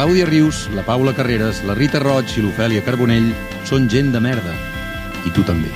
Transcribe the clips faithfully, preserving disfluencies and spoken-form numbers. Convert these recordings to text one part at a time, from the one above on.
Clàudia Rius, la Paula Carreras, la Rita Roig i l'Ofèlia Carbonell són gent de merda. I tu també.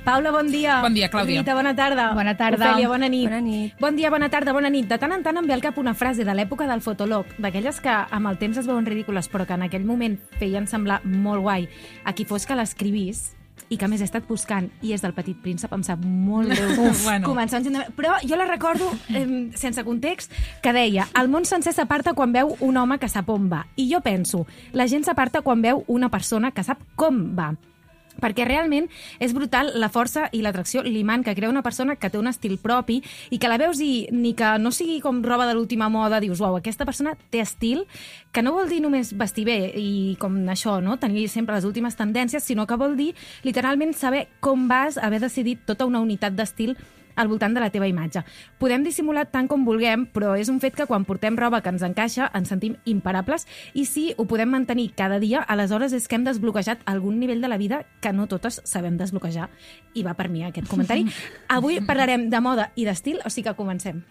Paula, bon dia. Bon dia, Clàudia. Rita, bona tarda. Bona tarda. Ofèlia, bona nit. Bona nit. Bon dia, bona tarda, bona nit. De tant en tant em ve al cap una frase de l'època del fotolog, d'aquelles que amb el temps es veuen ridícules, però que en aquell moment feien semblar molt guai a qui fos que l'escrivís, i que a més he estat buscant, i és del Petit Príncep, em sap molt greu. Uf, bueno. Començar un... Però jo la recordo, eh, sense context, que deia: el món sencer s'aparta quan veu un home que sap on va. I jo penso, la gent s'aparta quan veu una persona que sap com va. Perquè realment és brutal la força i l'atracció, l'imant que crea una persona que té un estil propi i que la veus i ni que no sigui com roba de l'última moda, dius, uau, aquesta persona té estil, que no vol dir només vestir bé i com això, no? Tenir sempre les últimes tendències, sinó que vol dir literalment saber com vas, haver decidit tota una unitat d'estil al voltant de la teva imatge. Podem dissimular tant com vulguem, però és un fet que quan portem roba que ens encaixa ens sentim imparables, i si ho podem mantenir cada dia, aleshores és que hem desbloquejat algun nivell de la vida que no totes sabem desbloquejar. I va per mi aquest comentari. Avui parlarem de moda i d'estil, o sigui que comencem.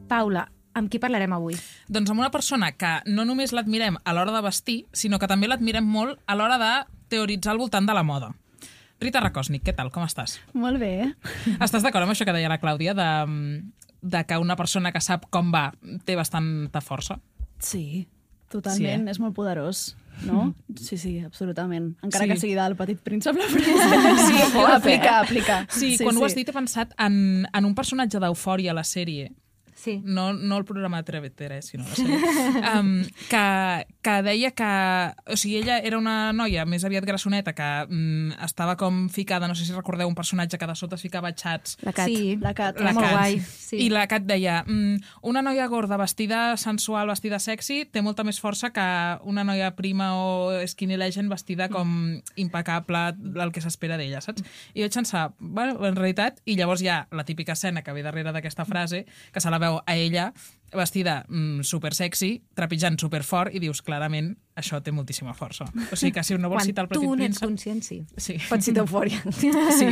Paula, amb qui parlarem avui? Doncs amb una persona que no només l'admirem a l'hora de vestir, sinó que també l'admirem molt a l'hora de teoritzar al voltant de la moda. Rita Rakosnik, què tal? Com estàs? Molt bé. Estàs d'acord amb això que deia la Clàudia, de, de que una persona que sap com va té bastanta força? Sí, totalment. Sí, eh? És molt poderós, no? Mm. Sí, sí, absolutament. Encara sí. que sigui del Petit Príncep, la frase. Sí, oh, aplica, aplica. Sí, sí quan sí. ho has dit he pensat en, en un personatge d'Eufòria a la sèrie. Sí. No, no el programa de T V tres, sinó la sèrie. Um, que, que deia que... O sigui, ella era una noia més aviat grassoneta que um, estava com ficada, no sé si recordeu un personatge que de sota es ficava xats. La Cat. Sí, la Cat. La molt guai. Sí. I la Cat deia, um, una noia gorda vestida sensual, vestida sexy, té molta més força que una noia prima o skinny legend vestida com impecable, el que s'espera d'ella, saps? I vaig pensar, bueno, en realitat, i llavors hi ha la típica escena que ve darrere d'aquesta frase, que se la veu a ella vestida mm, super sexy, trepitjant super fort, i dius, clarament, això té moltíssima força. O sigui que si no vols quan citar el Petit tu Príncep... n'ets conscient, sí. sí. Pots citar Eufòria. Sí.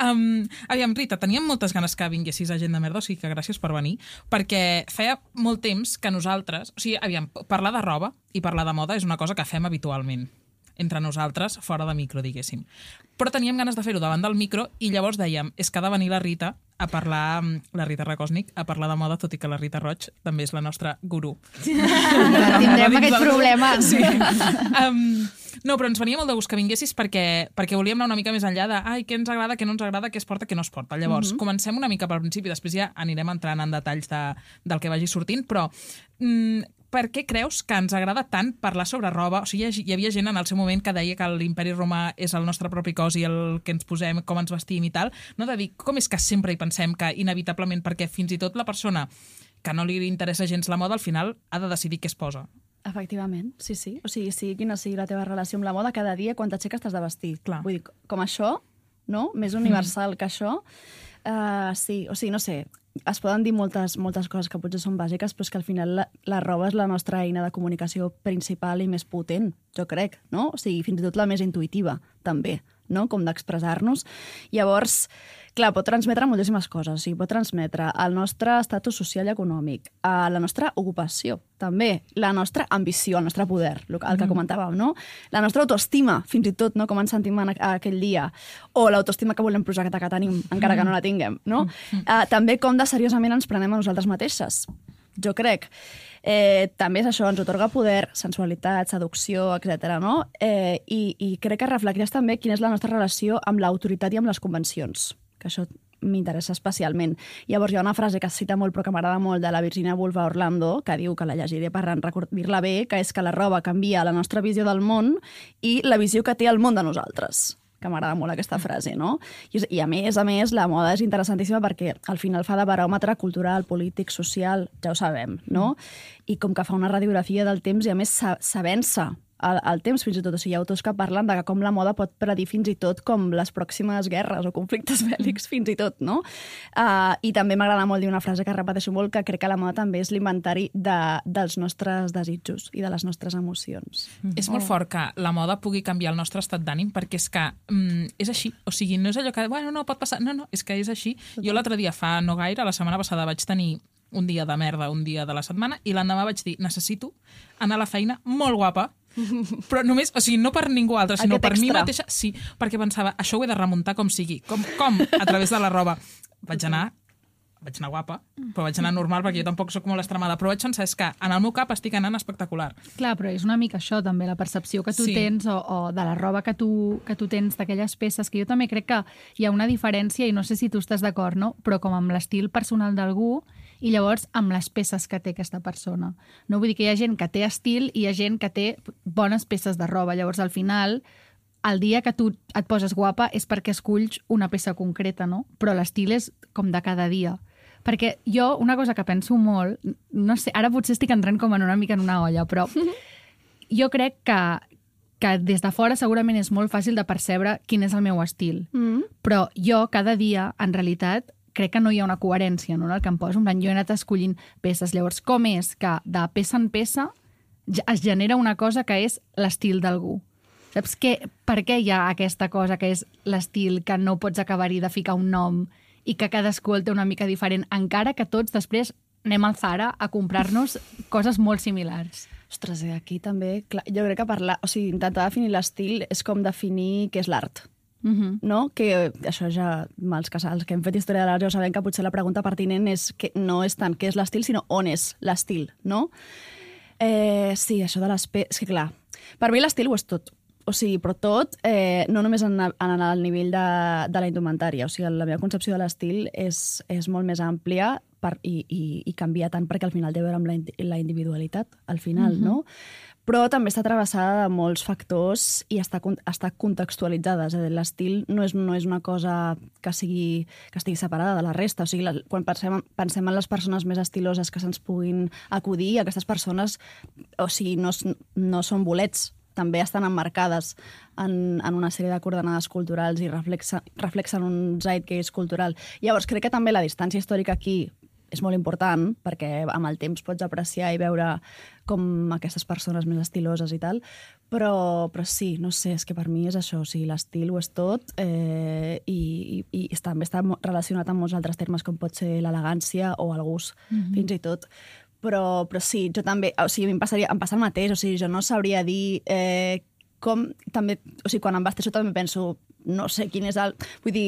Um, aviam, Rita, teníem moltes ganes que vinguessis a Gent de Merda, o sigui que gràcies per venir, perquè feia molt temps que nosaltres... O sigui, aviam, parlar de roba i parlar de moda és una cosa que fem habitualment entre nosaltres, fora de micro, diguéssim. Però teníem ganes de fer-ho davant del micro i llavors dèiem, és que ha de venir la Rita a parlar, la Rita Rakosnik, a parlar de moda, tot i que la Rita Roig també és la nostra gurú. Tindrem aquest problema. Sí. Um, no, però ens venia molt de gust que vinguessis perquè, perquè volíem anar una mica més enllà de ai, què ens agrada, què no ens agrada, què es porta, què no es porta. Llavors, mm-hmm. comencem una mica pel principi, després ja anirem entrant en detalls de, del que vagi sortint, però... Mm, per què creus que ens agrada tant parlar sobre roba? O sigui, hi havia gent en el seu moment que deia que l'imperi romà és el nostre propi cos i el que ens posem, com ens vestim i tal. No de dir, com és que sempre hi pensem que inevitablement, perquè fins i tot la persona que no li interessa gens la moda, al final ha de decidir què es posa. Efectivament, sí, sí. O sigui, sigui quina sigui la teva relació amb la moda, cada dia quan t'aixeques t'has de vestir. Clar. Vull dir, com això, no? Més universal mm. que això. Uh, sí, o sigui, no sé, es poden dir moltes, moltes coses que potser són bàsiques, però és que al final la, la roba és la nostra eina de comunicació principal i més potent, jo crec, no? O sigui, fins i tot la més intuïtiva, també, no? Com d'expressar-nos. Llavors, clar, pot transmetre moltíssimes coses. O sigui, pot transmetre el nostre estatus social i econòmic, la nostra ocupació, també, la nostra ambició, el nostre poder, el que comentàvem, no? La nostra autoestima, fins i tot, no? Com ens sentim en aquell dia. O l'autoestima que volem projectar que tenim, encara que no la tinguem, no? Uh, també com de seriosament ens prenem a nosaltres mateixes, jo crec. Eh, també és això, ens otorga poder, sensualitat, seducció, etcètera, no? Eh, i, I crec que reflecteix també quina és la nostra relació amb l'autoritat i amb les convencions, que això m'interessa especialment. Llavors hi ha una frase que es cita molt però que m'agrada molt de la Virginia Woolf a Orlando, que diu, que la llegiré per dir-la bé, que és que la roba canvia la nostra visió del món i la visió que té el món de nosaltres. que m'agrada molt aquesta frase, no? I, I a més, a més, la moda és interessantíssima perquè al final fa de baròmetre cultural, polític, social, ja ho sabem, no? I com que fa una radiografia del temps i a més s'avença al, al temps fins i tot. O sigui, hi ha autors que parlen de com la moda pot predir fins i tot com les pròximes guerres o conflictes bèl·lics fins i tot, no? Uh, I també m'agrada molt dir una frase que repeteixo molt, que crec que la moda també és l'inventari de, dels nostres desitjos i de les nostres emocions. Mm-hmm. És molt fort que la moda pugui canviar el nostre estat d'ànim perquè és que mm, és així. O sigui, no és allò que, bueno, no, pot passar. No, no, és que és així. Jo l'altre dia, fa no gaire, la setmana passada vaig tenir un dia de merda, un dia de la setmana, i l'endemà vaig dir, necessito anar a la feina molt guapa, però només, o sigui, no per ningú altre, sinó Aquest per extra. mi mateixa, sí, perquè pensava, això ho he de remuntar com sigui. Com? Com? A través de la roba. Vaig anar, vaig anar guapa, però vaig anar normal perquè jo tampoc soc molt extremada, però vaig pensar, és que en el meu cap estic anant espectacular. Clar, però és una mica això també, la percepció que tu Sí. tens o, o de la roba que tu, que tu tens d'aquelles peces, que jo també crec que hi ha una diferència, i no sé si tu estàs d'acord, no? Però com amb l'estil personal d'algú i llavors amb les peces que té aquesta persona. No vull dir que hi ha gent que té estil i hi ha gent que té bones peces de roba. Llavors, al final, el dia que tu et poses guapa és perquè esculls una peça concreta, no? Però l'estil és com de cada dia. Perquè jo, una cosa que penso molt, no sé, ara potser estic entrant com en una mica en una olla, però jo crec que, que des de fora segurament és molt fàcil de percebre quin és el meu estil. Mm. Però jo, cada dia, en realitat, crec que no hi ha una coherència, no?, en el que em poso. En plan, jo he anat escollint peces. Llavors, com és que de peça en peça es genera una cosa que és l'estil d'algú? Saps què, per què hi ha aquesta cosa que és l'estil, que no pots acabar-hi de ficar un nom i que cadascú el té una mica diferent, encara que tots després anem al Zara a comprar-nos coses molt similars? Ostres, i aquí també... Clar, jo crec que parlar... O sigui, intentar definir l'estil és com definir què és l'art. Uh-huh. No? Que això ja, els que, els que hem fet història de l'art ja sabem que potser la pregunta pertinent és que no és tant què és l'estil, sinó on és l'estil, no? Eh, sí, això de les... Pe... És que clar, per mi l'estil ho és tot. O sigui, però tot, eh, no només en, en el nivell de, de la indumentària. O sigui, la meva concepció de l'estil és, és molt més àmplia per, i, i, i canvia tant perquè al final té a veure amb la, la individualitat, al final, uh-huh. no? Però també està travessada de molts factors i està, està contextualitzada. És a dir, l'estil no és, no és una cosa que, sigui, que estigui separada de la resta. O sigui, la, quan pensem, pensem en les persones més estiloses que se'ns puguin acudir, aquestes persones o sigui, no, no són bolets, també estan emmarcades en, en una sèrie de coordenades culturals i reflexa, reflexen un zeitgeist cultural. Llavors, crec que també la distància històrica aquí és molt important, perquè amb el temps pots apreciar i veure com aquestes persones més estiloses i tal, però, però sí, no sé, és que per mi és això, o sigui, l'estil ho és tot eh, i, i, i també està relacionat amb molts altres termes com pot ser l'elegància o el gust, mm-hmm. fins i tot. Però, però sí, jo també, o sigui, em, passaria, em passa el mateix, o sigui, jo no sabria dir eh, com també, o sigui, quan em vesteixo també penso, no sé quin és el... Vull dir,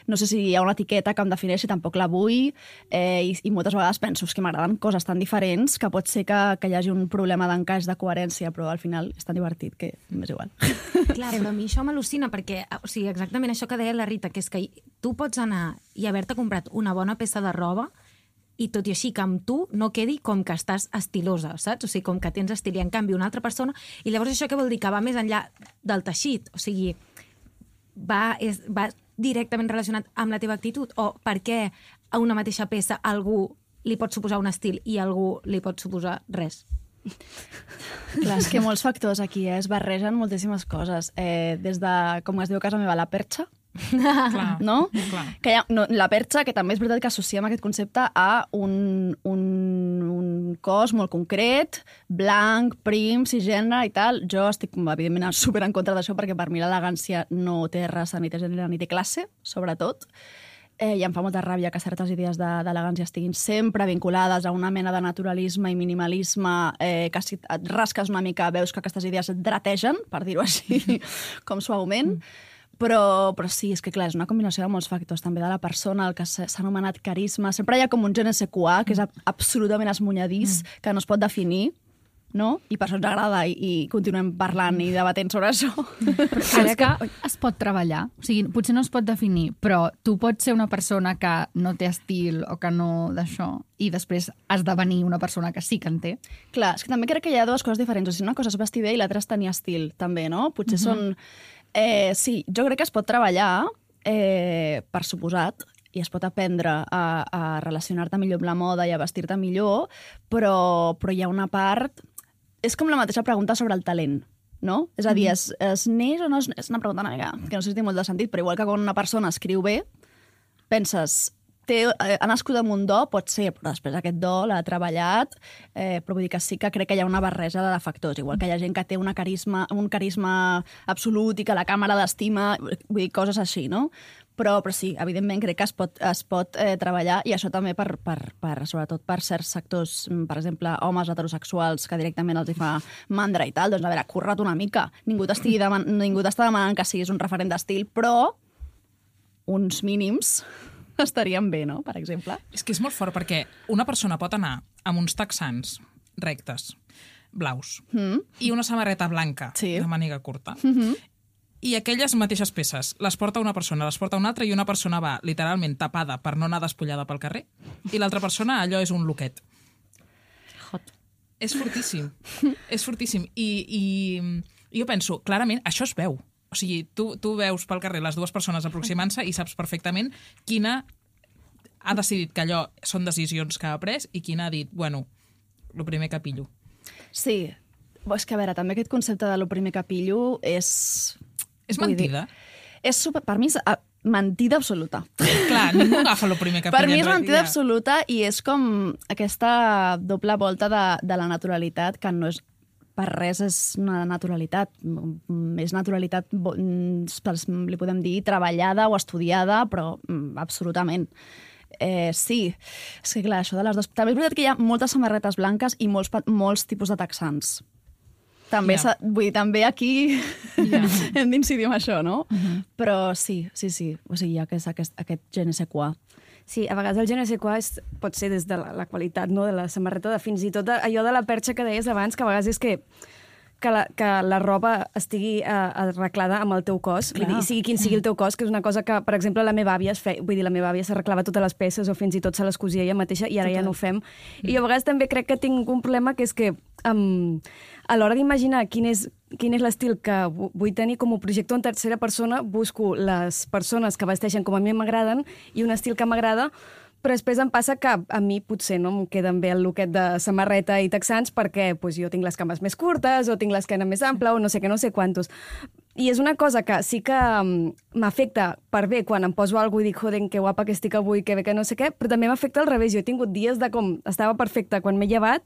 no sé si hi ha una etiqueta que em defineixi, tampoc la vull, eh, i, i moltes vegades penso que m'agraden coses tan diferents que pot ser que, que hi hagi un problema d'encaix, de coherència, però al final és tan divertit que m'és igual. Clar, però a mi això m'al·lucina perquè, o sigui, exactament això que deia la Rita, que és que tu pots anar i haver-te comprat una bona peça de roba i tot i així que amb tu no quedi com que estàs estilosa, saps? O sigui, com que tens estil i en canvi una altra persona, i llavors això què vol dir? Que va més enllà del teixit, o sigui, va, és, va directament relacionat amb la teva actitud, o per què a una mateixa peça algú li pot suposar un estil i a algú li pot suposar res? Clar, és que molts factors aquí eh, es barregen moltíssimes coses. Eh, des de, com es diu a casa meva, la perxa, Clar, no? clar. Que hi ha, no, la perxa, que també és veritat que associem aquest concepte a un, un, un cos molt concret, blanc, prim, cisgènere i tal. Jo estic, evidentment, super en contra d'això perquè per mi l'elegància no té raça, ni té gènere, ni té classe, sobretot. Eh, I em fa molta ràbia que certes idees d'elegància de, estiguin sempre vinculades a una mena de naturalisme i minimalisme, eh, que si et rasques una mica veus que aquestes idees et drategen, per dir-ho així, com suaument. Mm. Però, però sí, és que clar, és una combinació de molts factors, també de la persona, el que s'ha anomenat carisma. Sempre hi ha com un je ne sais quoi, que és absolutament esmunyadís, mm. que no es pot definir, no? I per això ens agrada i, i continuem parlant i debatent sobre això. Crec que es pot treballar. O sigui, potser no es pot definir, però tu pots ser una persona que no té estil o que no d'això i després has de venir una persona que sí que en té. Clar, és que també crec que hi ha dues coses diferents. O sigui, una cosa és vestir bé i l'altra és tenir estil, també, no? Potser uh-huh. són... Eh, sí, jo crec que es pot treballar, eh, per suposat, i es pot aprendre a, a relacionar-te millor amb la moda i a vestir-te millor, però, però hi ha una part... És com la mateixa pregunta sobre el talent, no? És a dir, es, es neix o no es és una pregunta una mica que no sé si té molt de sentit, però igual que quan una persona escriu bé, penses, té, eh, ha nascut amb un do, pot ser, però després aquest do l'ha treballat, eh, però vull dir que sí que crec que hi ha una barreja de factors, igual que hi ha gent que té una carisma, un carisma absolut i que la càmera l'estima, vull dir, coses així, no? Però, però sí, evidentment crec que es pot, es pot eh, treballar, i això també per, per, per, sobretot per certs sectors, per exemple, homes heterosexuals que directament els hi fa mandra i tal, doncs a veure, curra't una mica. Ningú t'estigui deman ningú t'està demanant que siguis un referent d'estil, però uns mínims estarien bé, no?, per exemple. És que és molt fort, perquè una persona pot anar amb uns texans rectes, blaus, mm. i una samarreta blanca sí. de màniga curta, mm-hmm. i aquelles mateixes peces les porta una persona, les porta una altra, i una persona va literalment tapada per no anar despullada pel carrer, i l'altra persona allò és un loquet. Hot. És fortíssim. És fortíssim. I, i jo penso, clarament, això es veu. O sigui, tu, tu veus pel carrer les dues persones aproximant-se i saps perfectament quina ha decidit que allò són decisions que ha pres i quina ha dit, bueno, lo primer que pillo. Sí. És que, a veure, també aquest concepte de lo primer que pillo és... És mentida? Dir, és super, per mi és uh, mentida absoluta. Clar, ningú agafa el primer que per pilla. mi és mentida absoluta, i és com aquesta doble volta de, de la naturalitat, que no és per res és una naturalitat. És naturalitat, li podem dir, treballada o estudiada, però absolutament. Eh, sí, és que clar, això de les dues... També és veritat que hi ha moltes samarretes blanques i molts, molts tipus de texans. També, yeah. vull dir, també aquí yeah. hem d'incidir en això, no? Uh-huh. Però sí, sí, sí. O sigui, hi ha aquest, aquest, aquest je ne sais quoi. Sí, a vegades el je ne sais quoi és, pot ser des de la, la qualitat, no?, de la samarreta, de fins i tot de, allò de la perxa que deies abans, que a vegades és que que la, que la roba estigui uh, arreglada amb el teu cos, vull dir, sigui quin sigui el teu cos, que és una cosa que, per exemple, la meva àvia es feia, vull dir, la meva àvia s'arreglava totes les peces o fins i tot se les cosia ella mateixa, i ara Total. ja no ho fem. Mm. I jo a vegades també crec que tinc un problema, que és que um, a l'hora d'imaginar quin és, quin és l'estil que vull tenir com a projector en tercera persona, busco les persones que vesteixen com a mi m'agraden i un estil que m'agrada, però després em passa que a mi potser no em queden bé el looket de samarreta i texans perquè pues, jo tinc les cames més curtes o tinc l'esquena més ampla o no sé què, no sé quantos. I és una cosa que sí que m'afecta per bé quan em poso alguna cosa i dic, joder, que guapa que estic avui, que bé que no sé què, però també m'afecta al revés. Jo he tingut dies de com estava perfecta quan m'he llevat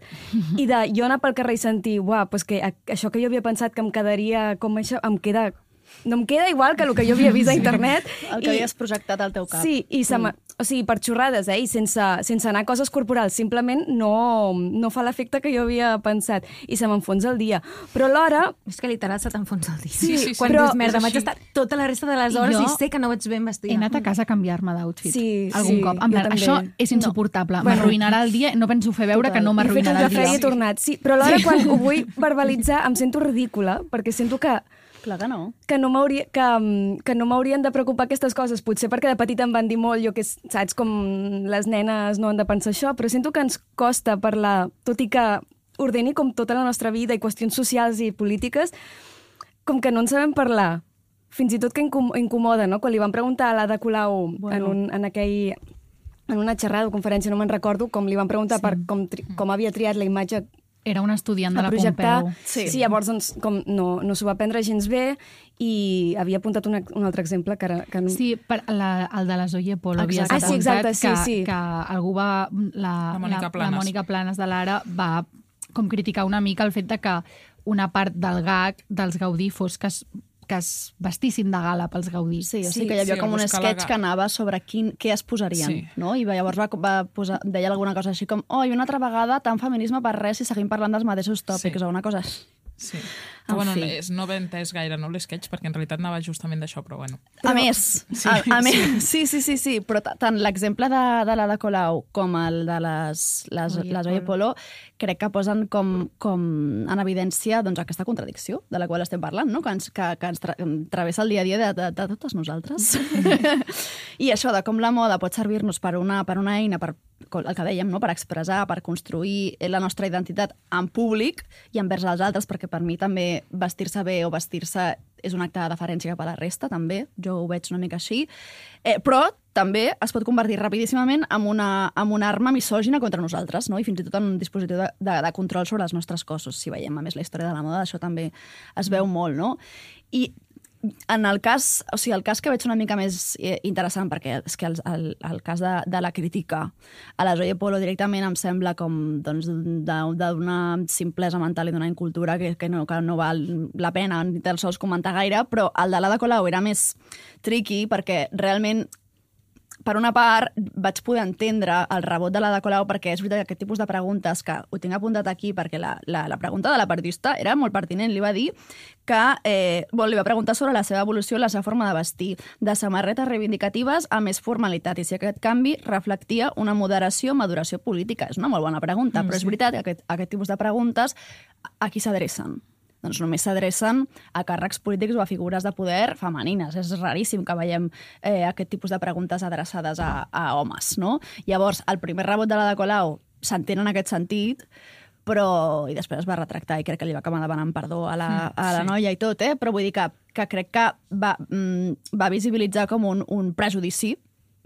i de jo anar pel carrer i sentir, uah, pues que això que jo havia pensat que em quedaria com això, em queda... No em queda igual que el que jo havia vist a internet. El que I, havies projectat al teu cap. Sí, i se mm. o sigui, per xorrades, eh? I sense, sense anar a coses corporals. Simplement no, no fa l'efecte que jo havia pensat. I se m'enfonsa el dia. Però alhora... És que literal se t'enfonsa el dia. Sí, sí, sí. Quan però, dius, merda, vaig estar tota la resta de les hores i, jo i sé que no vaig ben vestida. He anat a casa a canviar-me d'outfit. Sí, algun sí, cop. En plan, això és insuportable. No. M'arruïnarà el dia. No penso fer veure Total. que no m'arruïnarà el dia. He fet un cafè i he tornat. Sí, però alhora sí. quan ho vull verbalitzar em sento ridícula, perquè sento que Clar que no. Que no m'hauria, que, que no m'haurien de preocupar aquestes coses. Potser perquè de petita em van dir molt, jo que saps com les nenes no han de pensar això, però sento que ens costa parlar, tot i que ordeni com tota la nostra vida i qüestions socials i polítiques, com que no en sabem parlar. Fins i tot que incomoda, no? Quan li van preguntar a l'Ada Colau bueno. en, un, en aquell... en una xerrada o conferència, no me'n recordo, com li van preguntar sí. per com, tri, com havia triat la imatge Era una estudiant de la Pompeu. Sí, sí llavors doncs, com no, no s'ho va prendre gens bé i havia apuntat una, un altre exemple que ara... Que no... Sí, per la, el de la Zoe Polo havia ah, sí, exacte, sí, que, sí. que algú va... La, la, Mònica la, la Mònica Planes de l'Ara va com criticar una mica el fet de que una part del gag dels Gaudí fos que es que es vestissin de gala pels Gaudí. Sí, o sigui sí, que hi havia sí, com un sketch la... que anava sobre quin, què es posarien, sí. no? I llavors va, va posar, deia alguna cosa així com oh, i una altra vegada tant feminisme per res si seguim parlant dels mateixos tòpics sí. o una cosa així. Sí. Però, bueno, és, no ben entès gaire, no, l'esquetx, perquè en realitat anava justament d'això, però bueno. Però... A més, sí, a, a sí. més, sí, sí, sí, sí, però tant l'exemple de, de l'Ada Colau com el de les, les, Oye, les Oye Polo crec que posen com, com en evidència doncs, aquesta contradicció de la qual estem parlant, no? que, ens, que, que ens tra travessa el dia a dia de, de, de totes nosaltres. I això de com la moda pot servir-nos per una, per una eina, per el que dèiem, no? per expressar, per construir la nostra identitat en públic i envers els altres, perquè per mi també vestir-se bé o vestir-se és un acte de deferència cap a la resta, també. Jo ho veig una mica així. Eh, però també es pot convertir rapidíssimament en una, en una arma misògina contra nosaltres, no? I fins i tot en un dispositiu de, de, de control sobre els nostres cossos. Si veiem, a més, la història de la moda, això també es veu molt, no? I en el cas, o sigui, el cas que veig una mica més interessant, perquè és que el, el, el cas de, de la crítica a la Zoe Polo directament em sembla com doncs, d'una simplesa mental i d'una incultura que, que, no, que no val la pena ni tan sols comentar gaire, però el de l'Ada Colau era més tricky perquè realment per una part, vaig poder entendre el rebot de l'Ada Colau perquè és veritat que aquest tipus de preguntes, que ho tinc apuntat aquí perquè la, la, la pregunta de la periodista era molt pertinent. Li va dir que eh, bon, li va preguntar sobre la seva evolució, la seva forma de vestir, de samarretes reivindicatives a més formalitat, i si aquest canvi reflectia una moderació o maduració política. És una molt bona pregunta, mm, però és veritat que aquest, aquest tipus de preguntes a qui s'adrecen? Doncs només s'adrecen a càrrecs polítics o a figures de poder femenines. És raríssim que veiem eh, aquest tipus de preguntes adreçades a, a homes, no? Llavors, el primer rebot de l'Ada Colau s'entén en aquest sentit, però i després es va retractar i crec que li va acabar demanant perdó a la, a la sí. noia i tot, eh? Però vull dir que, que crec que va, mm, va visibilitzar com un, un prejudici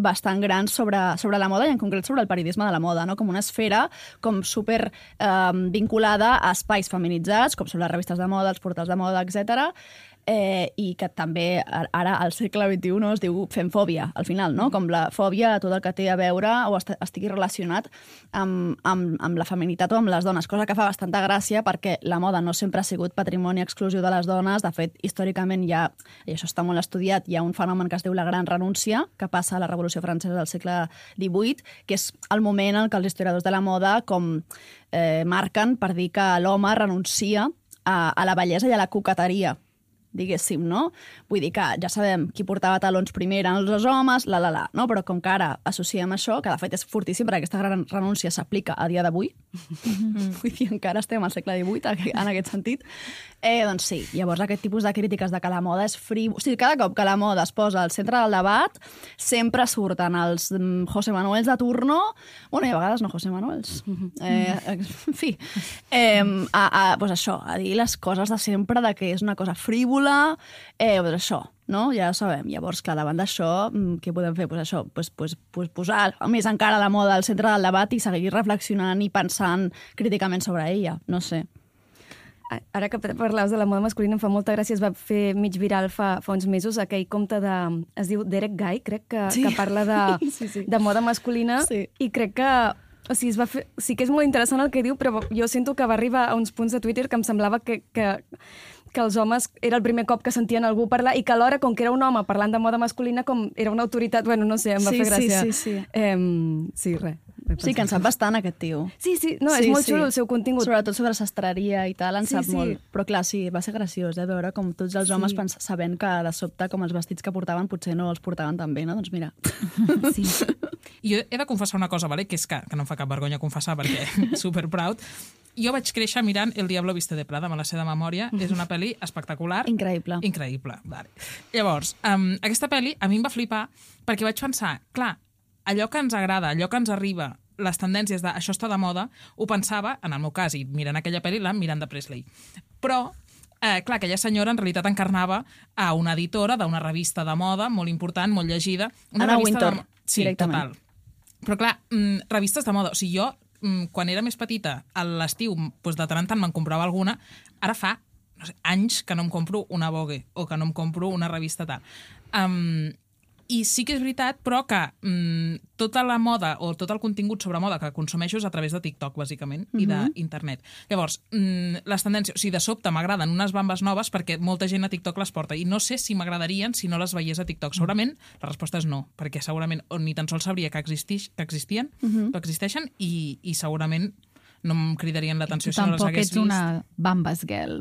bastant gran sobre, sobre la moda i en concret sobre el periodisme de la moda, no? Com una esfera com super eh, vinculada a espais feminitzats, com són les revistes de moda, els portals de moda, etcètera, eh, i que també ara al segle vint-i-u es diu femfòbia, al final, no? Com la fòbia a tot el que té a veure o est estigui relacionat amb, amb, amb la feminitat o amb les dones, cosa que fa bastanta gràcia perquè la moda no sempre ha sigut patrimoni exclusiu de les dones. De fet, històricament hi ha, i això està molt estudiat, hi ha un fenomen que es diu la gran renúncia, que passa a la Revolució Francesa del segle divuit, que és el moment en què els historiadors de la moda com eh, marquen per dir que l'home renuncia a, a la bellesa i a la coqueteria, diguéssim, no? Vull dir que ja sabem qui portava talons primer eren els homes, la, la, la, no? Però com que ara associem això, que de fet és fortíssim perquè aquesta gran renúncia s'aplica a dia d'avui, mm-hmm. vull dir, encara estem al segle divuit en aquest sentit, eh, doncs sí, llavors aquest tipus de crítiques de que la moda és frívol... O sigui, cada cop que la moda es posa al centre del debat, sempre surten els José Manuels de turno, bueno, i a vegades no José Manuels, eh, en fi, eh, a, a, pues això, a dir les coses de sempre, de que és una cosa frívola, eh, pues això, no? Ja ho sabem. Llavors, clar, davant d'això, què podem fer? Pues això, pues, pues, pues posar més encara la moda al centre del debat i seguir reflexionant i pensant críticament sobre ella, no sé. Ara que parlaves de la moda masculina, em fa molta gràcia, es va fer mig viral fa, fa uns mesos aquell compte de... es diu Derek Guy, crec, que, sí. que parla de, sí, sí. de moda masculina, sí. i crec que... O sigui, es va fer, sí que és molt interessant el que diu, però jo sento que va arribar a uns punts de Twitter que em semblava que, que, que els homes era el primer cop que sentien algú parlar i que alhora, com que era un home parlant de moda masculina, com era una autoritat... Bueno, no sé, em va sí, fer gràcia. Sí, sí, sí. Eh, sí, res. Sí, que en sap bastant, aquest tio. Sí, sí, no, sí, és molt sí. xulo el seu contingut. Sobretot sobre sastreria i tal, en sí, sap sí. molt. Però clar, sí, va ser graciós, eh, veure com tots els homes sí. sabent que de sobte com els vestits que portaven potser no els portaven tan bé, no? Doncs mira. Sí. Jo he de confessar una cosa, vale? Que és que, que no em fa cap vergonya confessar perquè super proud. Jo vaig créixer mirant El Diablo viste de Prada, me la sé de memòria. Mm-hmm. És una pel·li espectacular. Increïble. Increïble, vale. Llavors, um, aquesta pel·li a mi em va flipar perquè vaig pensar, clar, allò que ens agrada, allò que ens arriba, les tendències de això està de moda, ho pensava, en el meu cas, i mirant aquella pel·li, la Miranda Presley. Però, eh, clar, aquella senyora en realitat encarnava a una editora d'una revista de moda molt important, molt llegida. Una Anna revista Wintour, de... Sí, directament. Total. Però clar, mm, revistes de moda, o sigui, jo, mm, quan era més petita, a l'estiu, doncs de tant en tant me'n comprava alguna, ara fa no sé, anys que no em compro una Vogue o que no em compro una revista tal. Um, I sí que és veritat, però que mm, tota la moda o tot el contingut sobre moda que consumeixo és a través de TikTok, bàsicament, mm-hmm. i d'internet. Llavors, mm, les tendències... O sigui, de sobte m'agraden unes bambes noves perquè molta gent a TikTok les porta i no sé si m'agradarien si no les veiés a TikTok. Segurament la resposta és no, perquè segurament o ni tan sols sabria que, existix, que existien, mm-hmm. que existeixen i, i segurament no em cridarien l'atenció si no les hagués vist. Tampoc ets una bambes girl.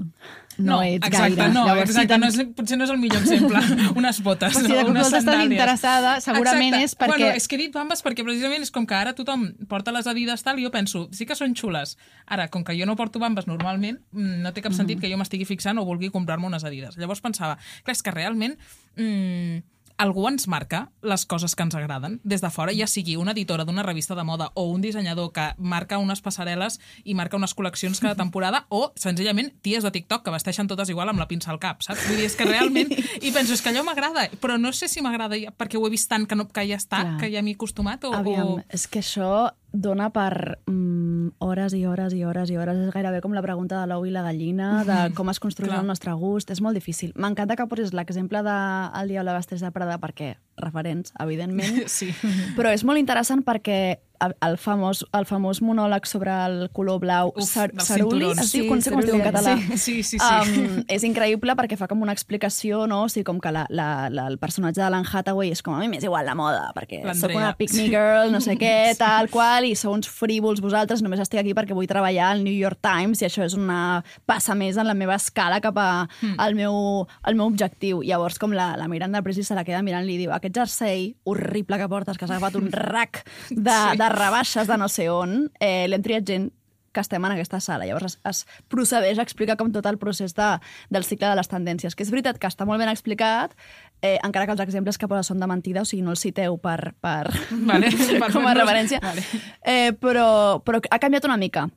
No, no ets exacte, gaire. No, Llavors, exacte, si no és, potser no és el millor exemple. Unes botes, si no, unes estàs sandàlies. interessada, segurament exacte. És perquè... Bueno, és que he dit bambes perquè precisament és com que ara tothom porta les Adidas tal i jo penso, sí que són xules. Ara, com que jo no porto bambes normalment, no té cap sentit mm. que jo m'estigui fixant o vulgui comprar-me unes Adidas. Llavors pensava, clar, és que realment... Mm, algú ens marca les coses que ens agraden des de fora, ja sigui una editora d'una revista de moda o un dissenyador que marca unes passarel·les i marca unes col·leccions cada temporada, o senzillament ties de TikTok que vesteixen totes igual amb la pinça al cap, saps? Vull dir, és que realment... I penso, és que allò m'agrada, però no sé si m'agrada perquè ho he vist tant que, no, que ja està, Clar. que ja m'hi he acostumat, o... Aviam, o... és que això dona per mm, hores i hores i hores i hores. És gairebé com la pregunta de l'ou i la gallina, de com es construeix el nostre gust. És molt difícil. M'encanta que posis l'exemple de El diable vesteix de Prada, perquè referents, evidentment. Sí. Però és molt interessant perquè el famós, el famós monòleg sobre el color blau, Uf, Cerulli, es diu, sí, com es diu en català. Sí, sí, sí. sí. Um, és increïble perquè fa com una explicació, no? O sigui, com que la, la, la, el personatge de l'Anne Hathaway és com, a mi m'és igual la moda, perquè sóc una pick-me girl, no sé què, tal qual, i sou uns frívols vosaltres, només estic aquí perquè vull treballar al New York Times i això és una passa més en la meva escala cap a, mm. al, meu, al meu objectiu. Llavors, com la, la Miranda Priestly se la queda mirant i li diu, aquest jersei horrible que portes, que has agafat un rack de, sí. de rebaixes de no sé on, eh, l'hem triat gent que estem en aquesta sala. Llavors es, es procedeix a explicar com tot el procés de, del cicle de les tendències, que és veritat que està molt ben explicat, eh, encara que els exemples que posa són de mentida, o sigui, no els citeu per, per, vale, com a referència. Vale. Eh, però, però ha canviat una mica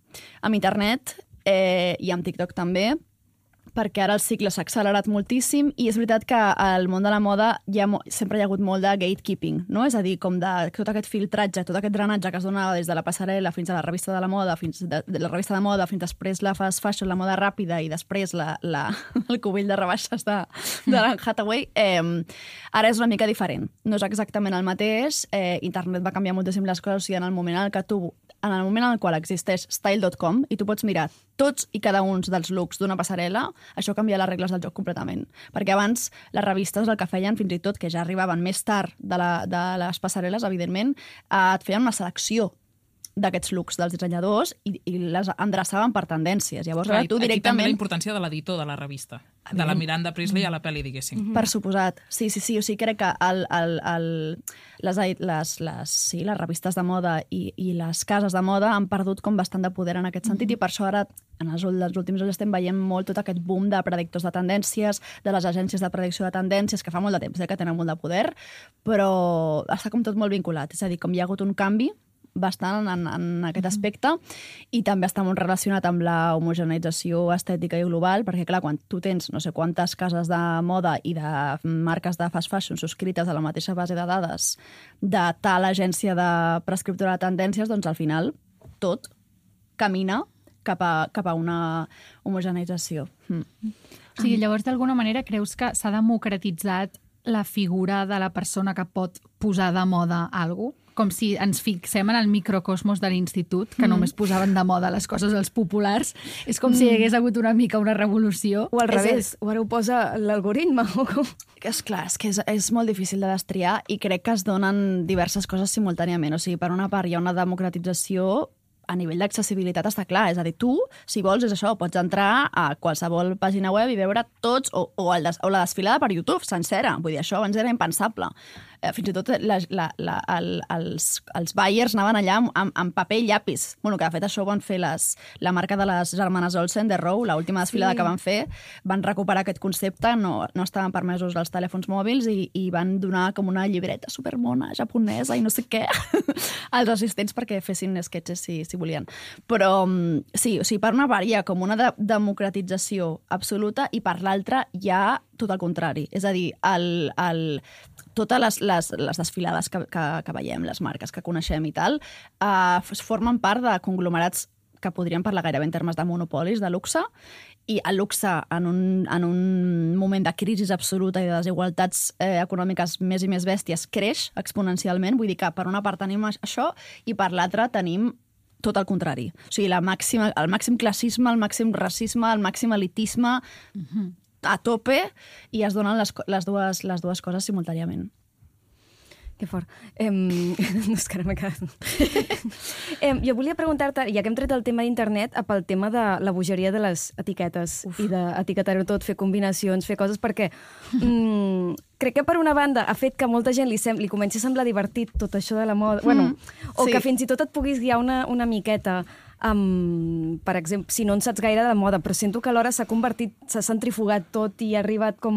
amb internet eh, i amb TikTok també, perquè ara el cicle s'ha accelerat moltíssim i és veritat que al món de la moda hi ha, sempre hi ha hagut molt de gatekeeping, no? És a dir, com de tot aquest filtratge, tot aquest drenatge que es donava des de la passarel·la fins a la revista de la moda, fins de, de la revista de moda, fins després la fast fashion, la moda ràpida i després la, la, el cubell de rebaixes de, de l'Anne Hathaway, eh, ara és una mica diferent. No és exactament el mateix, eh, internet va canviar moltíssim les coses, o sigui, en el moment en el que tu en el moment en el qual existeix style dot com i tu pots mirar tots i cada un dels looks d'una passarel·la, això canvia les regles del joc completament. Perquè abans les revistes el que feien, fins i tot, que ja arribaven més tard de, la, de les passarel·les, evidentment, eh, et feien una selecció d'aquests looks dels dissenyadors i, i les endreçaven per tendències. Llavors, Clar, ara tu directament... Aquí també la importància de l'editor de la revista, de la Miranda Priestly a la pel·li, diguéssim. Mm -hmm. Per suposat. Sí, sí, sí. O sigui, crec que el, el, el, les, les, les, sí, les revistes de moda i, i les cases de moda han perdut com bastant de poder en aquest sentit mm -hmm. i per això ara, en els, els últims anys, estem veient molt tot aquest boom de predictors de tendències, de les agències de predicció de tendències, que fa molt de temps eh, que tenen molt de poder, però està com tot molt vinculat. És a dir, com hi ha hagut un canvi bastant en, en aquest aspecte i també està molt relacionat amb la homogeneïtzació estètica i global, perquè clar, quan tu tens no sé quantes cases de moda i de marques de fast fashion subscrites a la mateixa base de dades de tal agència de prescriptora de tendències, doncs al final tot camina cap a, cap a una homogeneïtzació. Mm. O sigui, llavors, d'alguna manera, creus que s'ha democratitzat la figura de la persona que pot posar de moda alguna cosa? Com si ens fixem en el microcosmos de l'institut, que mm. només posaven de moda les coses als populars. És com mm. si hi hagués hagut una mica una revolució. O al revés, o ara ho posa l'algoritme. És clar, és que és, és molt difícil de destriar i crec que es donen diverses coses simultàniament. O sigui, per una part hi ha una democratització a nivell d'accessibilitat, està clar. És a dir, tu, si vols, és això, pots entrar a qualsevol pàgina web i veure tots, o, o, el des, o la desfilada per YouTube sencera. Vull dir, això abans era impensable. Eh, fins i tot la, la, la, el, els, els buyers anaven allà amb, amb paper i llapis. Bueno, que de fet això ho van fer les, la marca de les germanes Olsen, The Row, l'última desfilada sí. que van fer, van recuperar aquest concepte, no, no estaven permesos els telèfons mòbils i, i van donar com una llibreta supermona japonesa i no sé què als assistents perquè fessin sketches si, si volien. Però sí, o sigui, per una part hi ha com una de democratització absoluta i per l'altra hi ha tot el contrari. És a dir, el, el, totes les, les, les desfilades que, que, que veiem, les marques que coneixem i tal, eh, formen part de conglomerats que podríem parlar gairebé en termes de monopolis, de luxe, i el luxe en un, en un moment de crisi absoluta i de desigualtats eh, econòmiques més i més bèsties creix exponencialment. Vull dir que per una part tenim això i per l'altra tenim tot el contrari. O sigui, la màxima, el màxim classisme, el màxim racisme, el màxim elitisme uh-huh. a tope i es donen les, les, dues, les dues coses simultàniament. Que fort. Eh, no, és que ara m'he quedat... eh, jo volia preguntar-te, ja que hem tret el tema d'internet, pel tema de la bogeria de les etiquetes Uf. i d'etiquetar-ho tot, fer combinacions, fer coses, perquè mm, crec que per una banda ha fet que molta gent li, sem li comenci a semblar divertit tot això de la moda, mm, bueno, o sí. que fins i tot et puguis guiar una, una miqueta um, per exemple, si no en saps gaire de moda, però sento que alhora s'ha convertit, s'ha centrifugat tot i ha arribat com...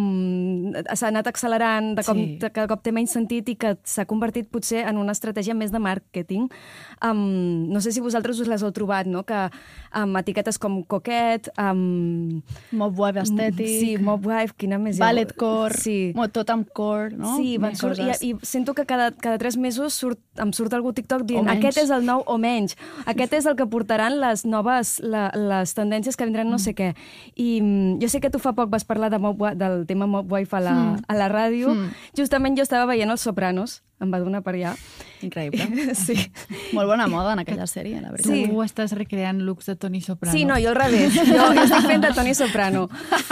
s'ha anat accelerant, de cop, sí. de, que de cop té menys sentit i que s'ha convertit potser en una estratègia més de màrqueting. Um, no sé si vosaltres us les heu trobat, no? Que amb um, etiquetes com Coquette, um, Mobwife estètic... Sí, Mobwife, quina més... Balletcore, sí. tot amb core, no? Sí, van surt, i, i sento que cada, cada tres mesos surt, em surt algú TikTok dient aquest és el nou o menys, aquest és el que portaran les noves, la, les tendències que vindran no sé què. I mm, jo sé que tu fa poc vas parlar de Mob, del tema Mobwife a la, mm. a la ràdio. Mm. Justament jo estava veient Els Sopranos, em va donar per allà. Increïble. Sí. Molt bona moda en aquella sèrie, la veritat. Sí. Tu estàs recreant looks de Toni Soprano. Sí, no, jo al revés. Jo, jo estic fent de Toni Soprano.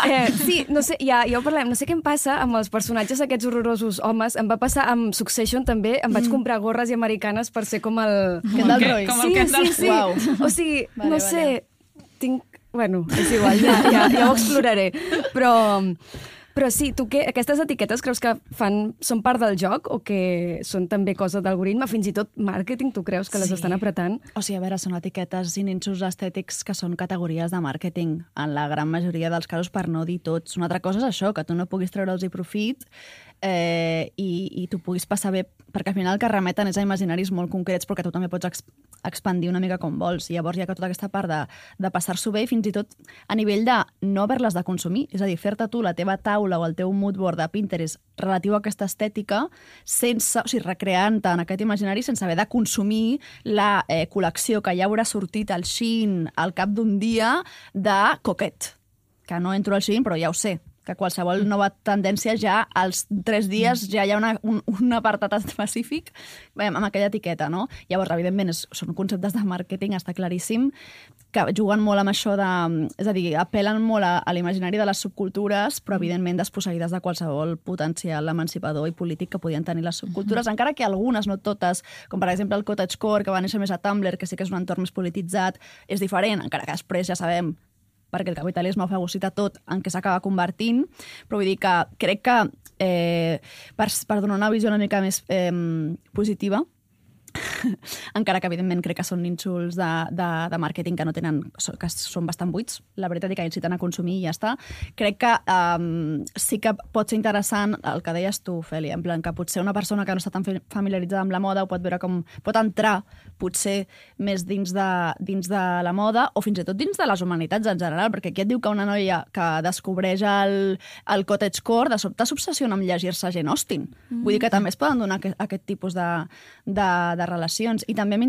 Eh, sí, no sé, ja, ja ho parlem, no sé què em passa amb els personatges aquests horrorosos homes. Em va passar amb Succession també. Em vaig comprar gorres i americanes per ser com el... Kendall Roy. Com el sí, Kendall. sí, sí. Uau. O sigui, vale, no vale. sé, tinc... Bueno, és igual, ja, ja, ja ho exploraré. Però... Però sí, tu què? Aquestes etiquetes creus que fan, són part del joc o que són també cosa d'algoritme? Fins i tot màrqueting, tu creus que les Sí. estan apretant? O sigui, a veure, són etiquetes i nínxols estètics que són categories de màrqueting, en la gran majoria dels casos, per no dir tots. Una altra cosa és això, que tu no puguis treure'ls-hi profit eh, i, i tu puguis passar bé, perquè al final el que remeten és a imaginaris molt concrets, però que tu també pots ex expandir una mica com vols. I llavors hi ha tota aquesta part de, de passar-s'ho bé, fins i tot a nivell de no haver-les de consumir. És a dir, fer-te tu la teva taula o el teu mood board de Pinterest relatiu a aquesta estètica, sense, o sigui, recreant-te en aquest imaginari sense haver de consumir la eh, col·lecció que ja haurà sortit al Shein al cap d'un dia de Coquette. Que no entro al Shein, però ja ho sé, que qualsevol nova tendència ja als tres dies ja hi ha una, un, un apartat específic bé, amb aquella etiqueta, no? Llavors, evidentment, és, són conceptes de màrqueting, està claríssim, que juguen molt amb això de... És a dir, apel·len molt a, a l'imaginari de les subcultures, però, evidentment, desposseïdes de qualsevol potencial emancipador i polític que podien tenir les subcultures, encara que algunes, no totes, com per exemple el cottagecore, que va néixer més a Tumblr, que sí que és un entorn més polititzat, és diferent, encara que després ja sabem perquè el capitalisme ho fagocita tot en què s'acaba convertint, però vull dir que crec que eh, per, per donar una visió una mica més eh, positiva, encara que evidentment crec que són nínxols de, de, de màrqueting que no tenen, que són bastant buits, la veritat, i que inciten a consumir i ja està. Crec que um, sí que pot ser interessant el que deies tu, Feli, en plan que potser una persona que no està tan familiaritzada amb la moda ho pot veure com pot entrar potser més dins de, dins de la moda o fins i tot dins de les humanitats en general, perquè aquí et diu que una noia que descobreix el, el cottagecore de sobte s'obsessiona amb llegir-se Jane Austen. Mm. Vull dir que també es poden donar aquest, aquest tipus de, de, de relacions. I també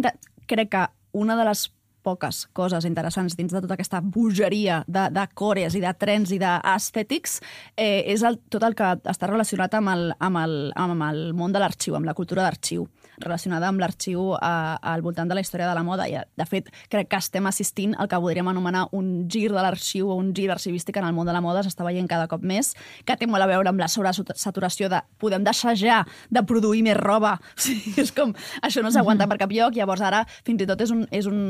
crec que una de les poques coses interessants dins de tota aquesta bogeria de, de cores i de trends i d'estètics eh, és el, tot el que està relacionat amb el, amb el, amb el món de l'arxiu, amb la cultura d'arxiu, relacionada amb l'arxiu al voltant de la història de la moda. I, de fet, crec que estem assistint al que podríem anomenar un gir de l'arxiu o un gir arxivístic en el món de la moda, s'està veient cada cop més, que té molt a veure amb la sobresaturació de podem deixar ja de produir més roba. O sigui, és com, això no s'aguanta per cap lloc, llavors ara fins i tot és un, és un,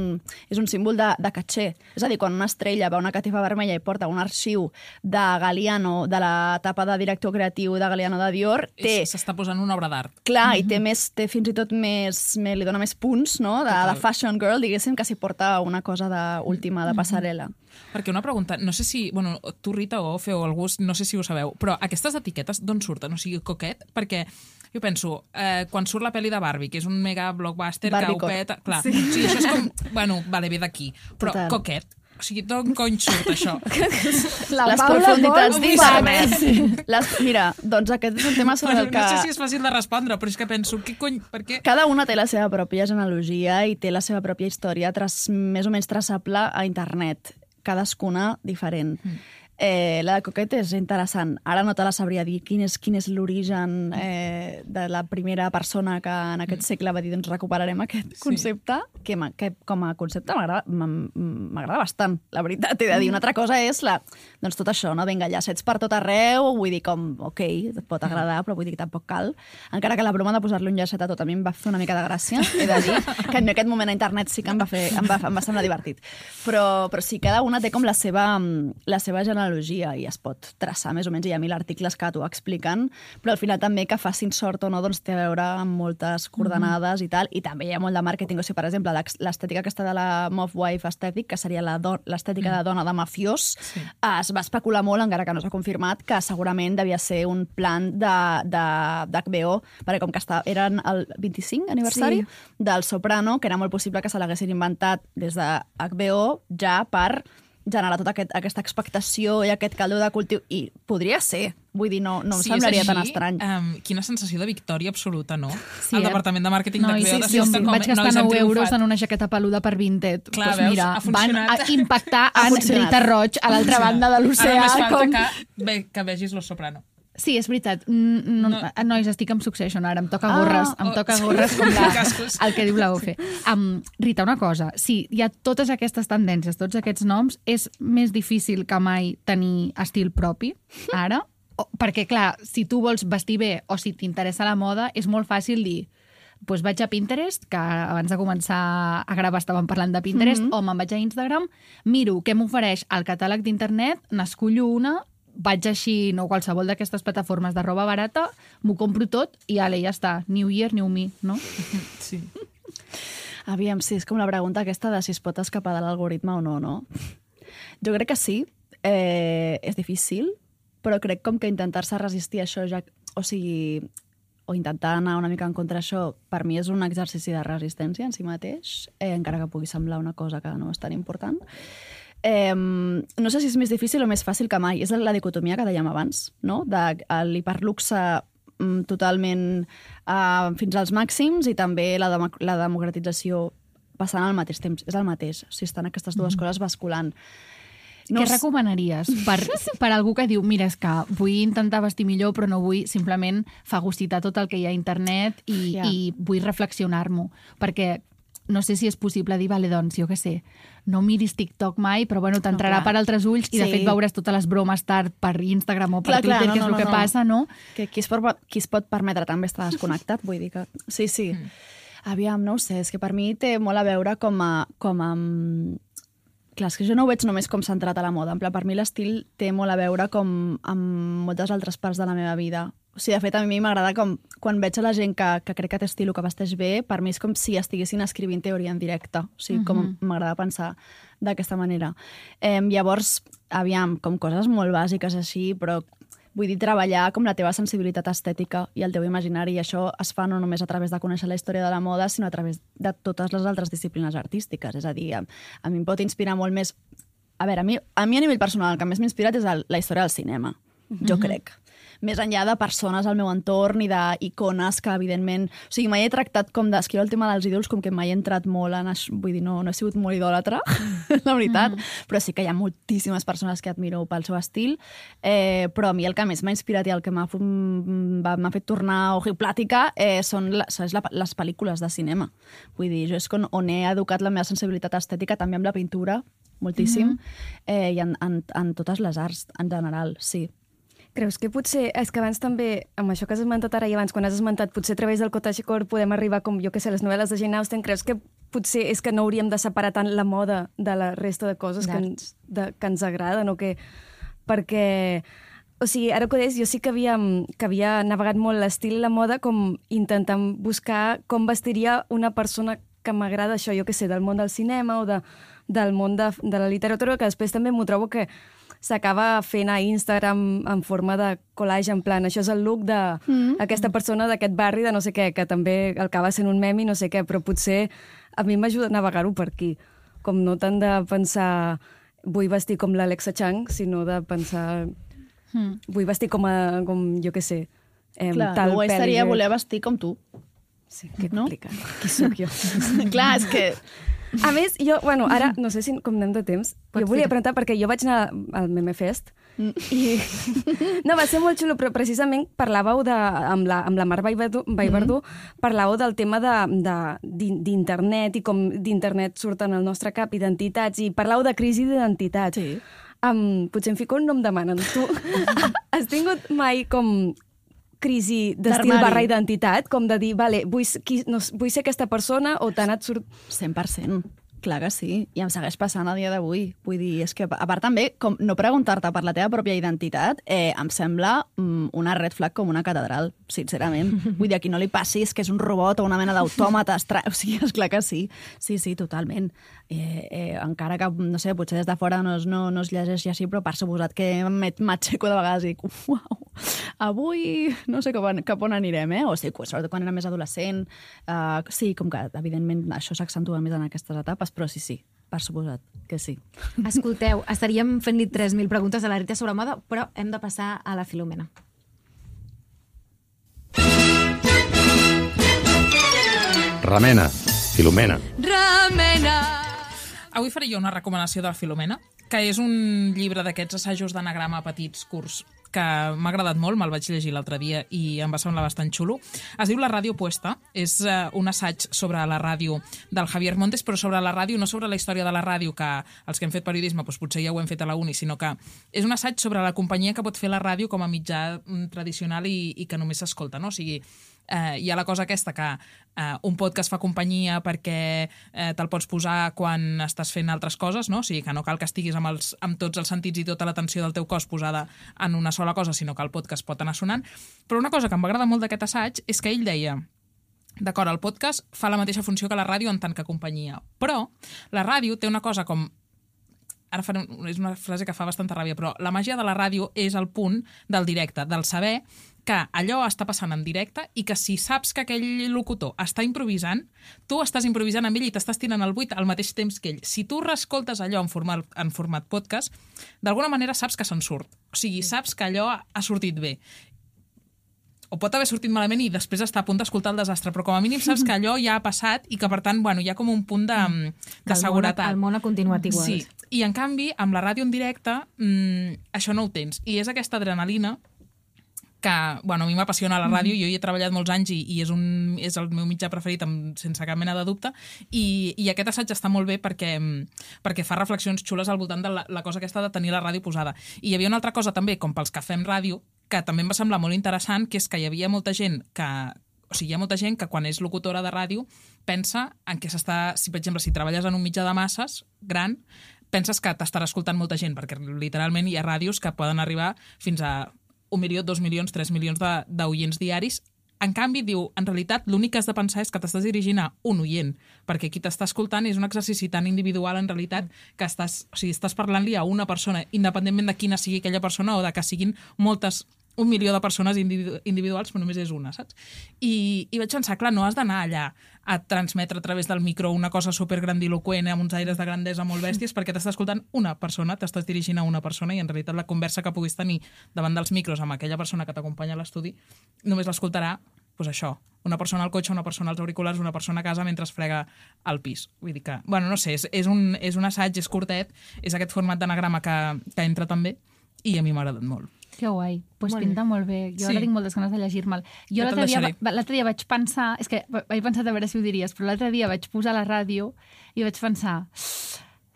és un símbol de, de caché. És a dir, quan una estrella va una catifa vermella i porta un arxiu de Galliano, de la etapa de director creatiu de Galliano de Dior, té... S'està posant una obra d'art. Clar, i té, més, té fins i tot més, més, li dona més punts, no?, de, de fashion girl, diguéssim, que si porta una cosa de, última de passarel·la. Perquè una pregunta, no sé si, bueno, tu, Rita, o Ofe, o algú, no sé si ho sabeu, però aquestes etiquetes d'on surten? O sigui, Coquette, perquè jo penso, eh, quan surt la pel·li de Barbie, que és un mega blockbuster que ho peta... Clar, sí. O sigui, això és com... Bueno, vale, ve d'aquí. Però Total. Coquette, o sigui, d'on cony surt això? La les Paula profunditats d'internet. Les... Mira, doncs aquest és un tema sobre bueno, el que... No sé si és fàcil de respondre, però és que penso, què cony, per què? Cada una té la seva pròpia genealogia i té la seva pròpia història tras... més o menys traçable a internet. Cadascuna diferent. Mm. Eh, la de Coquette és interessant. Ara no te la sabria dir quin és, quin és l'origen eh, de la primera persona que en aquest segle va dir doncs recuperarem aquest sí. concepte, que, que com a concepte m'agrada bastant, la veritat. He de dir, una altra cosa és la, doncs tot això, no? Vinga, llacets per tot arreu, vull dir com, ok, et pot agradar, però vull dir que tampoc cal. Encara que la broma de posar-li un llacet a tot a mi em va fer una mica de gràcia, he de dir, que en aquest moment a internet sí que em va, fer, em va, em va semblar divertit. Però, però sí, cada una té com la seva, la seva generalitat analogia i es pot traçar més o menys, hi ha mil articles que t'ho expliquen, però al final també que facin sort o no doncs té a veure amb moltes coordenades mm-hmm. i tal, i també hi ha molt de màrqueting, o sigui, per exemple, l'estètica aquesta de la Mob Wife Aesthetic, que seria l'estètica mm. de dona de mafiós, sí. es va especular molt, encara que no s'ha confirmat, que segurament devia ser un plan d'H B O, perquè com que està, eren el vint-i-cinc aniversari sí. del Soprano, que era molt possible que se l'haguessin inventat des de H B O ja per generar tota aquest, aquesta expectació i aquest caldo de cultiu. I podria ser. Vull dir, no, no em sí, semblaria així, tan estrany. Um, quina sensació de victòria absoluta, no? Sí, el eh? departament de màrqueting no, d'H B O... Sí, sí, sí, vaig gastar nou euros en una jaqueta peluda per Vinted. Clar, pues veus, mira, ha funcionat. van a impactar en Rita Roig a l'altra banda de l'oceà. Ara només falta com... que, ve, que vegis Los Soprano. Sí, és veritat. No, no. Nois, estic amb Succession ara, em toca Ah, gorres, em oh, toca sí. gorres com la, Cascos. el que diu la O F E. Um, Rita, una cosa, sí, hi ha totes aquestes tendències, tots aquests noms, és més difícil que mai tenir estil propi, ara, o, perquè, clar, si tu vols vestir bé o si t'interessa la moda, és molt fàcil dir pues vaig a Pinterest, que abans de començar a gravar estàvem parlant de Pinterest, mm-hmm. o me'n vaig a Instagram, miro què m'ofereix el catàleg d'internet, n'escullo una, vaig així, no qualsevol d'aquestes plataformes de roba barata, m'ho compro tot i ale, ja està. New year, new me, no? Sí. Aviam, sí, és com la pregunta aquesta de si es pot escapar de l'algoritme o no, no? Jo crec que sí. Eh, és difícil, però crec com que intentar-se resistir a això, ja, o sigui, o intentar anar una mica en contra d'això, per mi és un exercici de resistència en si mateix, eh, encara que pugui semblar una cosa que no és tan important. Eh, no sé si és més difícil o més fàcil que mai. És la dicotomia que dèiem abans, no? De l'hiperluxe mm, totalment uh, fins als màxims i també la, dem la democratització passant al mateix temps. És el mateix. O sigui, estan aquestes dues mm. coses basculant. No Què recomanaries per, per algú que diu mira, és que vull intentar vestir millor però no vull simplement fagocitar tot el que hi ha a internet i, yeah. i vull reflexionar-m'ho? Perquè no sé si és possible dir, vale, doncs, jo què sé, no miris TikTok mai, però bueno, t'entrarà no, per altres ulls i, de sí. fet, veuràs totes les bromes tard per Instagram o per clar, Twitter, clar, no, que és no, el no, que no. passa, no? Que qui es, pot, qui es pot permetre també estar desconnectat, vull dir que... Sí, sí. Mm. Aviam, no ho sé, és que per mi té molt a veure com a... Com a... Clar, és que jo no ho veig només com centrat a la moda. En pla, per mi l'estil té molt a veure com amb moltes altres parts de la meva vida. O sigui, de fet, a mi m'agrada com... Quan veig a la gent que, que crec que té estil o que vesteix bé, per mi és com si estiguessin escrivint teoria en directe. O sigui, com uh-huh. m'agrada pensar d'aquesta manera. Eh, llavors, aviam, com coses molt bàsiques així, però vull dir, treballar com la teva sensibilitat estètica i el teu imaginari, i això es fa no només a través de conèixer la història de la moda, sinó a través de totes les altres disciplines artístiques. És a dir, a, a mi em pot inspirar molt més... A veure, a mi a, mi a nivell personal el que més m'ha inspirat és el, la història del cinema, uh-huh. jo crec. Més enllà de persones al meu entorn i d'icones que, evidentment... O sigui, mai he tractat com d'escriure el tema dels ídols com que mai he entrat molt en... Vull dir, no, no he sigut molt idòlatra, la veritat, mm. però sí que hi ha moltíssimes persones que admiro pel seu estil, eh, però a mi el que més m'ha inspirat i el que m'ha fet tornar ojiplàtica eh, són les, la, les pel·lícules de cinema. Vull dir, jo és on, on he educat la meva sensibilitat estètica, també amb la pintura, moltíssim, mm. eh, i en, en, en totes les arts, en general, sí. Creus que potser, és que abans també, amb això que has esmentat ara i abans, quan has esmentat, potser a través del cottagecore podem arribar, com jo que sé, les novel·les de Jane Austen, creus que potser és que no hauríem de separar tant la moda de la resta de coses que ens, de, que ens agraden, o que... Perquè, o sigui, ara que ho deies, jo sí que havia, que havia navegat molt l'estil i la moda com intentant buscar com vestiria una persona que m'agrada això, jo que sé, del món del cinema o de, del món de, de la literatura, que després també m'ho trobo que s'acaba fent a Instagram en forma de collage, en plan, això és el look d'aquesta mm. persona d'aquest barri de no sé què, que també acaba sent un meme i no sé què, però potser a mi m'ajuda a navegar-ho per aquí. Com no tant de pensar vull vestir com l'Alexa Chang, sinó de pensar mm. vull vestir com, a, com jo què sé, eh, clar, tal guai seria que... voler vestir com tu. Sí, que no? complicat. Qui sóc jo? Clar, és que... A més, jo, bueno, ara, no sé si com anem de temps, Pots jo volia dir. preguntar, perquè jo vaig anar al Meme Fest mm. i... No, va ser molt xulo, però precisament parlàveu de, amb, la, amb la Mar Vallverdú, Vallverdú mm. parlàveu del tema d'internet de, de, i com d'internet surten al nostre cap identitats, i parlàveu de crisi d'identitat. Sí. Um, potser em fico un nom demanen. Tu has tingut mai com... crisi d'estil barra identitat, com de dir, vale, vull, qui, no, vull ser aquesta persona o t'ha anat surt... cent per cent. Clar que sí, i em segueix passant a dia d'avui. Vull dir, és que, a part també, com no preguntar-te per la teva pròpia identitat, eh, em sembla mm, una red flag com una catedral, sincerament. Vull dir, a qui no li passis que és un robot o una mena d'autòmata estra... O sigui, esclar que sí. Sí, sí, totalment. Eh, eh, encara que, no sé, potser des de fora no es, no, no es llegeixi així, però per suposat que m'aixeco de vegades i dic, uau, avui no sé cap on, cap on anirem, eh? O sigui, sobretot quan era més adolescent. Uh, sí, com que, evidentment, això s'accentua més en aquestes etapes, però sí, sí, per suposat que sí. Escolteu, estaríem fent-li tres mil preguntes a la Rita sobre moda, però hem de passar a la Filomena. Remena, Filomena. Remena! Avui faré jo una recomanació de la Filomena, que és un llibre d'aquests assajos d'anagrama petits, curts, que m'ha agradat molt, me'l vaig llegir l'altre dia i em va semblar bastant xulo. Es diu La ràdio puesta, és uh, un assaig sobre la ràdio del Javier Montes, però sobre la ràdio, no sobre la història de la ràdio, que els que hem fet periodisme doncs potser ja ho hem fet a la uni, sinó que és un assaig sobre la companyia que pot fer la ràdio com a mitjà tradicional i, i que només s'escolta, no? O sigui, eh, hi ha la cosa aquesta que eh, un podcast fa companyia perquè eh, te'l pots posar quan estàs fent altres coses, no? O sigui, que no cal que estiguis amb, els, amb tots els sentits i tota l'atenció del teu cos posada en una sola cosa, sinó que el podcast pot anar sonant. Però una cosa que em va agradar molt d'aquest assaig és que ell deia, d'acord, el podcast fa la mateixa funció que la ràdio en tant que companyia, però la ràdio té una cosa com... Ara faré, és una frase que fa bastanta ràbia, però la màgia de la ràdio és el punt del directe, del saber que allò està passant en directe i que si saps que aquell locutor està improvisant, tu estàs improvisant amb ell i t'estàs tirant el buit al mateix temps que ell. Si tu reescoltes allò en format, en format podcast, d'alguna manera saps que se'n surt. O sigui, saps que allò ha sortit bé. O pot haver sortit malament i després estar a punt d'escoltar el desastre, però com a mínim saps que allò ja ha passat i que, per tant, bueno, hi ha com un punt de, de el seguretat. Món, el món ha continuat igual. Sí, i en canvi, amb la ràdio en directe, mmm, això no ho tens. I és aquesta adrenalina que, bueno, a mi m'apassiona la ràdio, jo hi he treballat molts anys i, i és, un, és el meu mitjà preferit amb, sense cap mena de dubte, i, i aquest assaig està molt bé perquè, perquè fa reflexions xules al voltant de la, la cosa aquesta de tenir la ràdio posada. I hi havia una altra cosa també, com pels que fem ràdio, que també em va semblar molt interessant, que és que hi havia molta gent que... O sigui, hi ha molta gent que quan és locutora de ràdio pensa en què s'està... Si, per exemple, si treballes en un mitjà de masses gran, penses que t'estarà escoltant molta gent, perquè literalment hi ha ràdios que poden arribar fins a un milió, dos milions, tres milions d'oients diaris. En canvi, diu, en realitat, l'únic que has de pensar és que t'estàs dirigint a un oient, perquè qui t'està escoltant és un exercici tan individual, en realitat, que estàs, o sigui, estàs parlant-li a una persona, independentment de quina sigui aquella persona o de que siguin moltes, un milió de persones individu individuals, però només és una, saps? I, i vaig pensar, clar, no has d'anar allà a transmetre a través del micro una cosa supergrandiloquent amb uns aires de grandesa molt bèsties perquè t'està escoltant una persona, t'estàs dirigint a una persona i en realitat la conversa que puguis tenir davant dels micros amb aquella persona que t'acompanya a l'estudi només l'escoltarà, doncs això, una persona al cotxe, una persona als auriculars, una persona a casa mentre es frega al pis. Vull dir que, bueno, no sé, és, és, un, és un assaig, és curtet, és aquest format d'anagrama que, que entra també i a mi m'ha agradat molt. Que guai, doncs pues pinta molt bé. Jo Sí. ara tinc moltes ganes de llegir-me'l. Jo Ja te'l l'altre dia, deixaré. va- l'altre dia vaig pensar, és que vaig pensar a veure si ho diries, però l'altre dia vaig posar la ràdio i vaig pensar,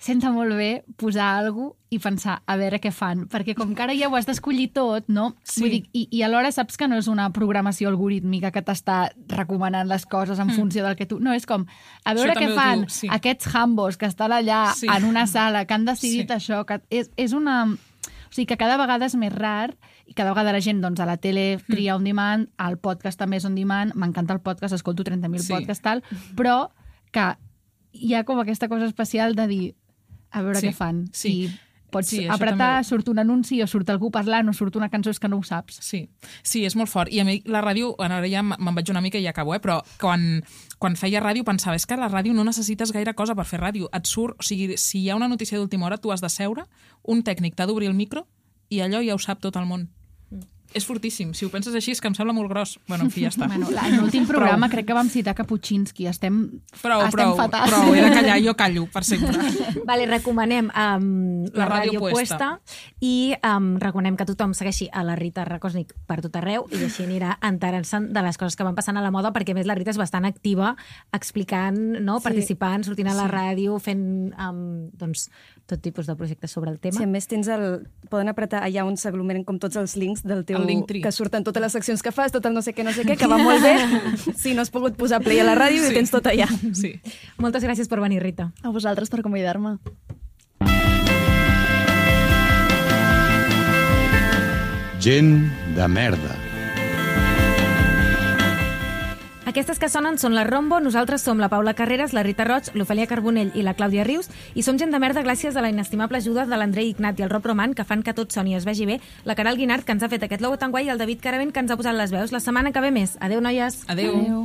senta molt bé posar alguna cosa i pensar a veure què fan, perquè com que ara ja ho has d'escollir tot, no? Sí. Vull dir, i, i alhora saps que no és una programació algorítmica que t'està recomanant les coses en funció del que tu... No, és com, a veure Això què també ho fan diu, sí. aquests hambos que estan allà Sí. en una sala, que han decidit Sí. això, que és, és una... O sigui que cada vegada és més rar i cada vegada la gent doncs, a la tele tria on demand, al podcast també és on demand, m'encanta el podcast, escolto trenta mil Sí. podcasts, tal, però que hi ha com aquesta cosa especial de dir a veure Sí. què fan. Sí. I pots Sí, això apretar, també. surt un anunci o surt algú parlant o surt una cançó, és que no ho saps. Sí, sí, és molt fort. I a mi la ràdio, bueno, ara ja me'n vaig una mica i ja acabo, eh? Però quan, quan feia ràdio pensava, és que a la ràdio no necessites gaire cosa per fer ràdio. Et surt, o sigui, si hi ha una notícia d'última hora, tu has de seure, un tècnic t'ha d'obrir el micro i allò ja ho sap tot el món. És fortíssim. Si ho penses així, és que em sembla molt gros. Bueno, en fi, ja està. Bueno, en l'últim programa crec que vam citar Kapuscinski. Estem, Prou, estem prou, fatal. prou. He de callar, jo callo, per sempre. Vale, recomanem um, la, La Ràdio Ràdio Puesta i um, recomanem que tothom segueixi a la Rita Rakosnik per tot arreu i així anirà enterant-se'n de les coses que van passant a la moda, perquè a més la Rita és bastant activa explicant, no? Sí. Participant, sortint a la Sí. ràdio, fent um, doncs, tot tipus de projectes sobre el tema. Sí, a més tens el... Poden apretar allà on s'aglomeren com tots els links del teu... El Linktree. Que surten totes les seccions que fas, tot el no sé què, no sé què, que va molt bé. Si no has pogut posar play a la ràdio Sí. i tens tot allà. Sí. Moltes gràcies per venir, Rita. A vosaltres per convidar-me. Gent de merda. Aquestes que sonen són la Rombo, nosaltres som la Paula Carreras, la Rita Roig, l'Ofèlia Carbonell i la Clàudia Rius, i som gent de merda gràcies a la inestimable ajuda de l'Andrei Ignat i el Rob Roman, que fan que tot soni i es vegi bé, la Caral Guinart, que ens ha fet aquest logo tan guai, i el David Caravent, que ens ha posat les veus. La setmana que ve més. Adéu, noies. Adéu. Adéu.